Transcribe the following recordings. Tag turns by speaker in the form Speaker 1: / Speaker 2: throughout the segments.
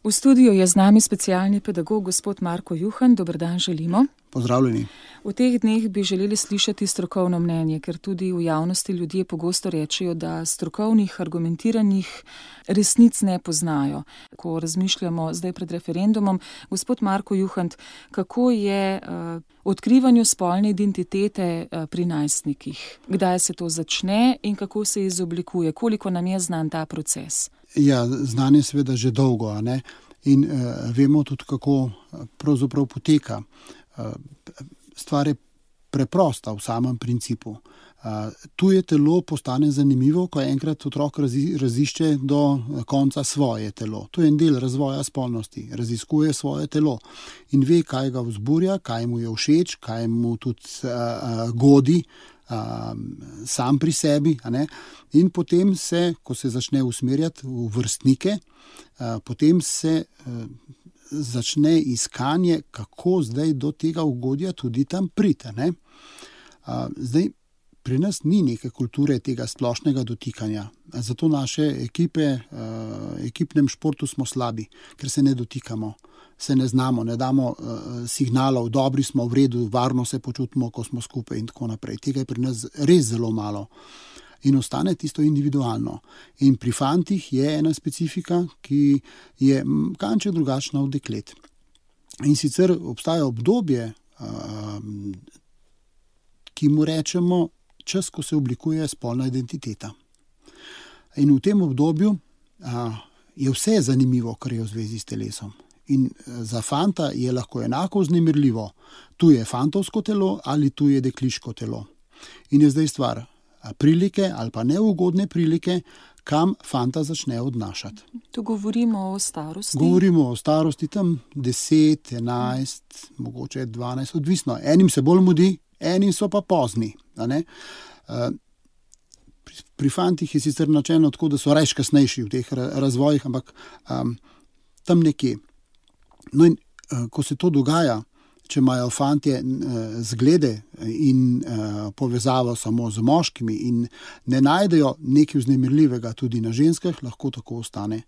Speaker 1: V studiu je z nami specialni pedagog gospod Marko Juhan. Dober dan želimo.
Speaker 2: Pozdravljeni.
Speaker 1: V teh dneh bi želeli slišati strokovno mnenje, ker tudi v javnosti ljudje pogosto rečejo, da strokovnih, argumentiranih resnic ne poznajo. Ko razmišljamo zdaj pred referendumom, gospod Marko Juhan, kako je odkrivanju spolne identitete pri najstnikih? Kdaj se to začne in kako se izoblikuje? Koliko nam je znan ta proces?
Speaker 2: Ja, znan je seveda že dolgo, a ne? In vemo tudi, kako pravzaprav poteka. Stvar je preprosta v samem principu. Tuje telo postane zanimivo, ko enkrat otrok razišče do konca svoje telo. To je en del razvoja spolnosti. Raziskuje svoje telo in ve, kaj ga vzburja, kaj mu je všeč, kaj mu tudi godi sam pri sebi. A ne? In potem se, ko se začne usmerjati v vrstnike, potem se začne iskanje, kako zdaj do tega ugodja tudi tam priti. Zdaj, pri nas ni neke kulture tega splošnega dotikanja. Zato naše ekipe, ekipnem športu smo slabi, ker se ne dotikamo, se ne znamo, ne damo signalov, dobri smo, v redu, varno se počutimo, ko smo skupaj in tako naprej. Tega je pri nas res zelo malo. In ostane tisto individualno. In pri fantih je ena specifika, ki je kanček drugačna od deklet. In sicer obstaja obdobje, ki mu rečemo čas, ko se oblikuje spolna identiteta. In v tem obdobju je vse zanimivo, kar je v zvezi s telesom. In za fanta je lahko enako vznemirljivo. Tu je fantovsko telo ali tu je dekliško telo. In je zdaj stvar prilike ali pa neugodne prilike, kam fanta začne odnašati.
Speaker 1: Tu govorimo o starosti?
Speaker 2: Govorimo o starosti, tam 10, 11, mogoče 12, odvisno. Enim se bolj mudi, enim so pa pozni. Pri fantih je sicer načelno tako, da so rajš kasnejši v teh razvojih, ampak tam nekje. No in ko se to dogaja, če imajo fantje zglede in povezavo samo z moškimi in ne najdejo nekaj vznemirljivega tudi na ženskah, lahko tako ostane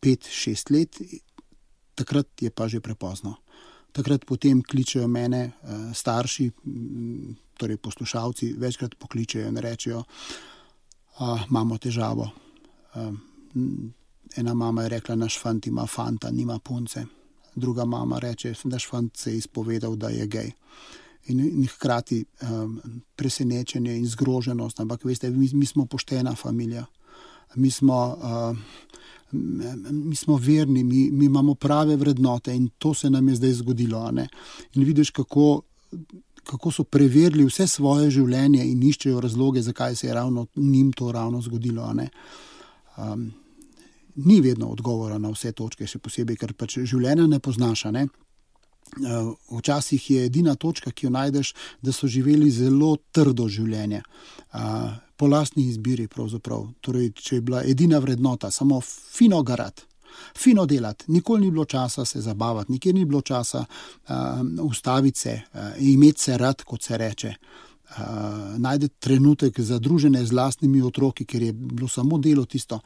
Speaker 2: 5-6 let, takrat je pa že prepozno. Takrat potem kličejo mene starši, torej poslušalci, večkrat pokličejo in rečejo, imamo težavo. Ena mama je rekla, naš fant ima fanta, nima punce. Druga mama reče, naš fant se je izpovedal, da je gej. In hkrati presenečenje in zgroženost, ampak veste, mi smo poštena familija. Mi smo verni, mi imamo prave vrednote in to se nam je zdaj zgodilo. In vidiš, kako so preverili vse svoje življenje in iščejo razloge, zakaj se je ravno njim to ravno zgodilo. Ni vedno odgovora na vse točke, še posebej, ker pač življenja ne poznaš. Včasih je edina točka, ki jo najdeš, da so živeli zelo trdo življenje. Po lastni izbiri pravzaprav. Torej, če je bila edina vrednota, samo fino garati, fino delati. Nikoli ni bilo časa se zabavati, nikjer ni bilo časa ustaviti se, imeti se rad, kot se reče. Najdeti trenutek za druženje z lastnimi otroki, ker je bilo samo delo tisto.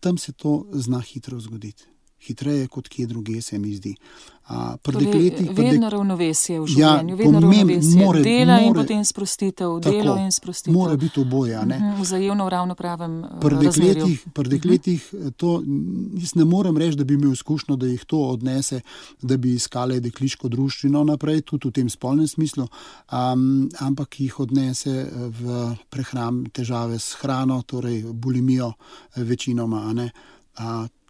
Speaker 2: Tam se to zna hitro zgoditi. Hitreje kot kje druge, se mi zdi.
Speaker 1: Vedno ravnovesje v življenju, vedno ravnovesje dela in potem sprostitev, delo in sprostitev.
Speaker 2: Mora biti oboje.
Speaker 1: Vzajemno v ravnopravem razmerju.
Speaker 2: Pri dekletih to, jaz ne morem reči, da bi imel izkušnjo, da jih to odnese, da bi iskale dekliško druščino naprej, tudi v tem spolnem smislu, ampak jih odnese v težave s hrano, torej bulimijo večinoma.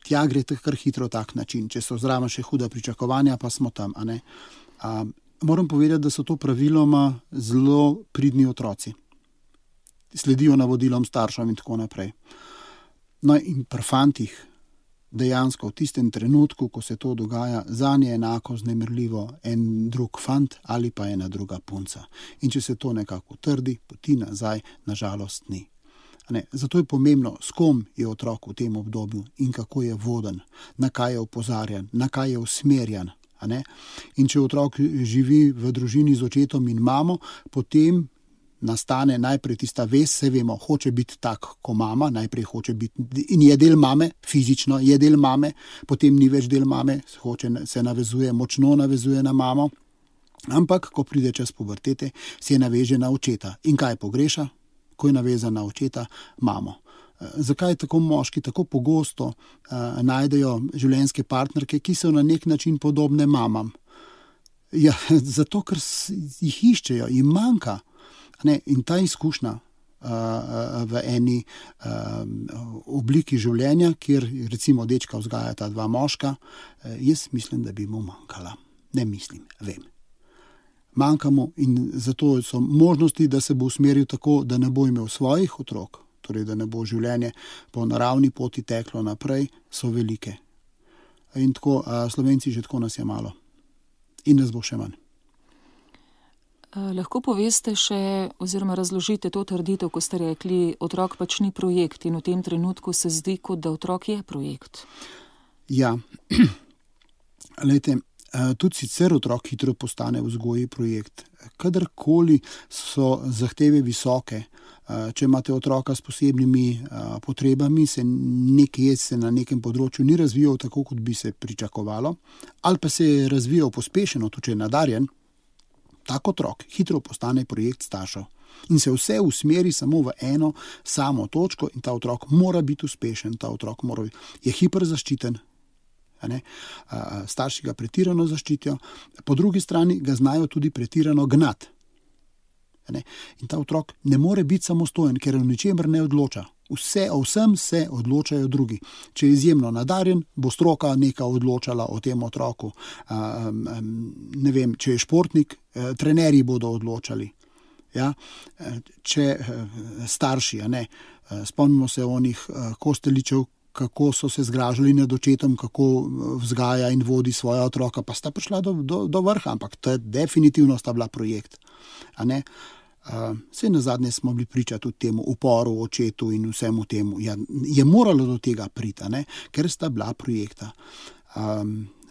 Speaker 2: Tja gre kar hitro tak način. Če so zraven še huda pričakovanja, pa smo tam. Moram povedati, da so to praviloma zelo pridni otroci. Sledijo navodilom staršem in tako naprej. No in pri fantih dejansko v tistem trenutku, ko se to dogaja, zanje je enako vznemirljivo en drug fant ali pa ena druga punca. In če se to nekako utrdi, poti nazaj, nažalost ni. Zato je pomembno, s kom je otrok v tem obdobju in kako je voden, na kaj je opozarjan, na kaj je usmerjan. In če otrok živi v družini z očetom in mamo, potem nastane najprej tista vez, se vemo, hoče biti tak kot mama, najprej hoče biti in je del mame, fizično je del mame, potem ni več del mame, se navezuje, močno navezuje na mamo, ampak ko pride čas pubertete, se naveže na očeta. In kaj pogreša? Ko je navezan na očeta, mamo. Zakaj tako moški tako pogosto najdejo življenjske partnerke, ki so na nek način podobne mamam? Ja, zato, ker jih iščejo, jim manjka. In ta izkušnja v eni obliki življenja, kjer recimo dečka vzgajata dva moška, jaz mislim, da bi mu manjkala. Ne mislim, vem. Manjka mu in zato so možnosti, da se bo usmeril tako, da ne bo imel svojih otrok, torej da ne bo življenje po naravni poti teklo naprej, so velike. In tako, Slovenci že tako nas je malo. In nas bo še manj.
Speaker 1: Lahko poveste še oziroma razložite to trditev, ko ste rekli, otrok pač ni projekt in v tem trenutku se zdi, kot da otrok je projekt.
Speaker 2: Ja, glejte, tudi sicer otrok hitro postane v vzgoji projekt. Kadarkoli so zahteve visoke, če imate otroka s posebnimi potrebami, se na nekem področju ni razvijal tako, kot bi se pričakovalo, ali pa se je razvijal pospešeno, tudi če je nadarjen, tak otrok hitro postane projekt staršev. In se vse usmeri samo v eno samo točko in ta otrok mora biti uspešen, ta otrok je hiperzaščiten. Starši ga pretirano zaščitijo, po drugi strani ga znajo tudi pretirano gnati. In ta otrok ne more biti samostojen, ker o ničemer ne odloča. O vsem se odločajo drugi. Če je izjemno nadarjen, bo stroka nekaj odločala o tem otroku. Ne vem, če je športnik, trenerji bodo odločali. Ja? Če starši, spomnimo se onih Kosteličev, kako so se zgražali nad očetom, kako vzgaja in vodi svoja otroka, pa sta prišla do vrha, ampak to je definitivno sta bila projekt. Saj nazadnje smo bili priča tudi temu uporu očetu in vsemu temu. Ja, je moralo do tega priti, ker sta bila projekta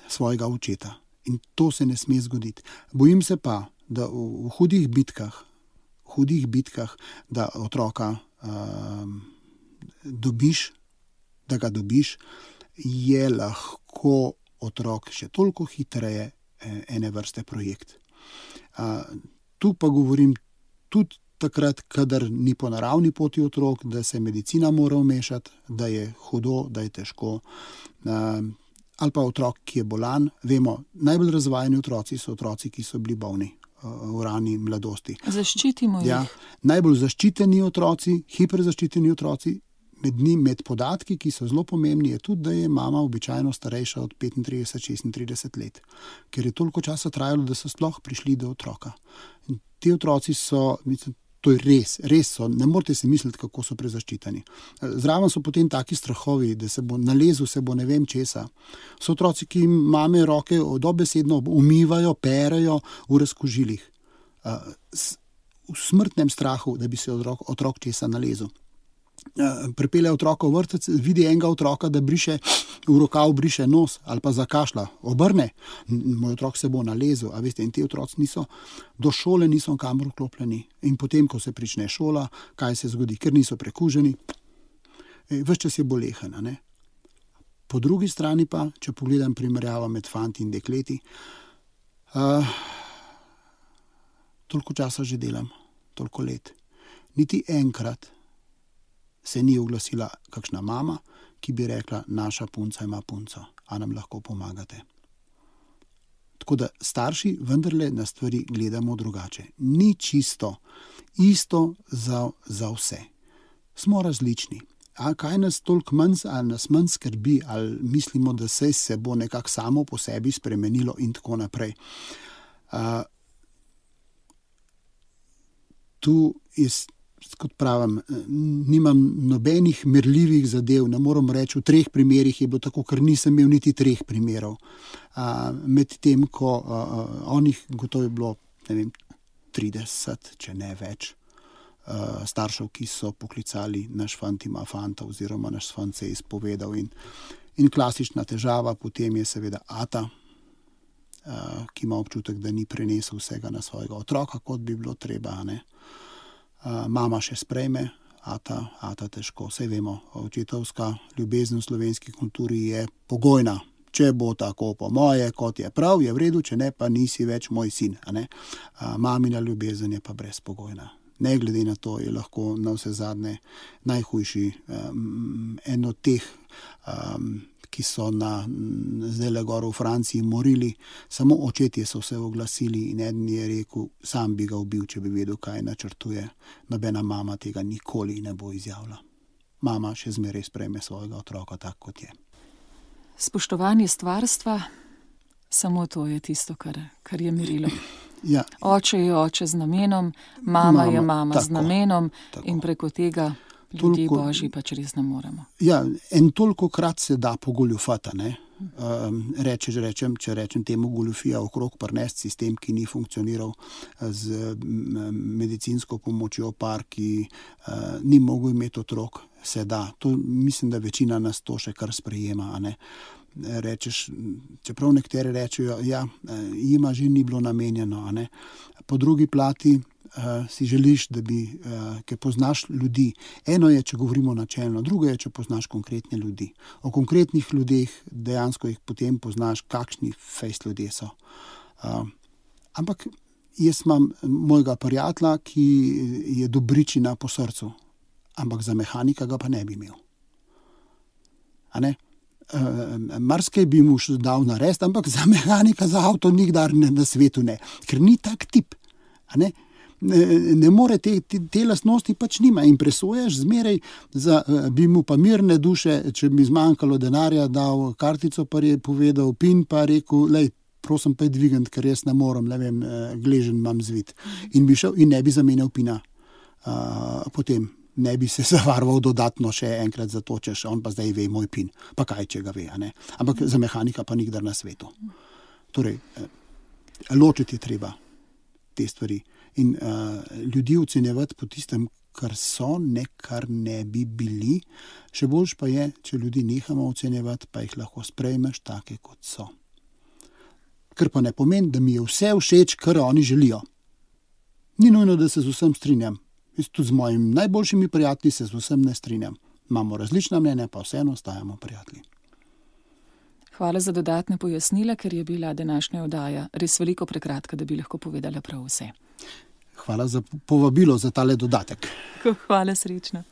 Speaker 2: svojega očeta. In to se ne sme zgoditi. Bojim se pa, da v hudih bitkah, da otroka da ga dobiš, je lahko otrok še toliko hitreje ene vrste projekt. Tu pa govorim tudi takrat, kadar ni po naravni poti otrok, da se medicina mora vmešati, da je hudo, da je težko. Ali pa otrok, ki je bolan. Vemo, najbolj razvajeni otroci so otroci, ki so bili bolni v rani mladosti.
Speaker 1: Zaščitimo jih.
Speaker 2: Ja, najbolj zaščiteni otroci, hiperzaščiteni otroci, med podatki, ki so zelo pomembni, je tudi, da je mama običajno starejša od 35-36 let. Ker je toliko časa trajalo, da so sploh prišli do otroka. In ti otroci so, mislim, to je res so, ne morete si misliti, kako so prezaščiteni. Zraven so potem taki strahovi, da se bo nalezil, se bo ne vem česa. So otroci, ki jim mame roke dobesedno umivajo, perejo v razkužilih. V smrtnem strahu, da bi se otrok česa nalezil. Pripelje otroka v vrtec, vidi enega otroka, da briše v rokav, briše nos ali pa zakašlja, obrne, moj otrok se bo nalezel, a veste, in ti otroci do šole niso kamor vklopljeni. In potem, ko se prične šola, kaj se zgodi, ker niso prekuženi, ves čas je bolehen, Po drugi strani pa, če pogledam primerjavo med fanti in dekleti, toliko časa že delam, toliko let, niti enkrat se ni oglasila kakšna mama, ki bi rekla, naša punca ima punco, a nam lahko pomagate. Tako da starši vendarle na stvari gledamo drugače. Ni čisto isto za vse. Smo različni. A kaj nas toliko manj, ali nas manj skrbi, ali mislimo, da se bo nekako samo po sebi spremenilo in tako naprej. Tu je, kot pravim, nimam nobenih merljivih zadev, ne moram reči, v 3 primerih je bilo tako, ker nisem imel niti 3 primerov. Med tem, ko onih gotovo je bilo, ne vem, 30, če ne več, staršev, ki so poklicali, naš fant ima fanta oziroma naš fant se je izpovedal. In klasična težava potem je seveda ata, ki ima občutek, da ni prenesel vsega na svojega otroka, kot bi bilo treba, mama še sprejme, ata težko. Saj vemo, očetovska ljubezen v slovenski kulturi je pogojna. Če bo tako po moje, kot je prav, je v redu, če ne, pa nisi več moj sin. Mamina ljubezen je pa brezpogojna. Ne glede na to, je lahko na vse zadnje najhujši, en od teh, ki so zdajle gor v Franciji morili, samo očetje so se oglasili in eden je rekel, sam bi ga ubil, če bi vedel, kaj načrtuje. Nobena mama tega nikoli ne bo izjavila. Mama še zmeraj sprejme svojega otroka tak, kot je.
Speaker 1: Spoštovanje stvarstva, samo to je tisto, kar je merilo.
Speaker 2: Ja.
Speaker 1: Oče je oče z namenom, mama je mama
Speaker 2: tako,
Speaker 1: z namenom
Speaker 2: tako.
Speaker 1: In preko tega ljudje božji pač res ne moremo.
Speaker 2: Ja, en tolikokrat se da pogoljufati, ne. Če rečem temu goljufija okrog prinesti sistem, ki ni funkcioniral z medicinsko pomočjo par, ki ni mogel imeti otrok, se da. To, mislim, da večina nas to še kar sprejema, a ne. Rečeš, čeprav nekateri rečejo, ja, jima že ni bilo namenjeno, a ne. Po drugi plati si želiš, da bi, ker poznaš ljudi. Eno je, če govorimo načelno, drugo je, če poznaš konkretne ljudi. O konkretnih ljudeh dejansko jih potem poznaš, kakšni fejst ljudje so. Ampak jaz imam mojega prijatelja, ki je dobričina po srcu, ampak za mehanika ga pa ne bi imel. A ne? Marsikaj bi mu še dal narediti, ampak za mehanika, za avto nikdar na svetu ne. Ker ni tak tip. A ne? Ne more te lastnosti pač nima in presojaš zmeraj, bi mu pa mirne duše, če bi zmanjkalo denarja, dal kartico, pa je povedal PIN, pa rekel, lej, prosim pa je dvigant, ker jaz ne morem, ne vem, gležen imam zvit. In bi šel in ne bi zamenjal PIN-a. Potem ne bi se zavaroval dodatno še enkrat za to, češ on pa zdaj ve moj PIN. Pa kaj, če ga ve, a ne. Ampak za mehanika pa nikdar na svetu. Torej, ločiti je treba te stvari. In ljudi ocenjevati po tistem, kar so, ne kar ne bi bili. Še boljš pa je, če ljudi nehamo ocenjevati, pa jih lahko sprejmeš take, kot so. Kar pa ne pomeni, da mi je vse všeč, kar oni želijo. Ni nujno, da se z vsem strinjam. Jaz tudi z mojimi najboljšimi prijatelji se z vsem ne strinjam. Imamo različna mnenja, pa vseeno ostajamo prijatelji.
Speaker 1: Hvala za dodatne pojasnila, ker je bila današnja oddaja res veliko prekratka, da bi lahko povedala prav vse.
Speaker 2: Hvala za povabilo za tale dodatek.
Speaker 1: Hvala, srečno.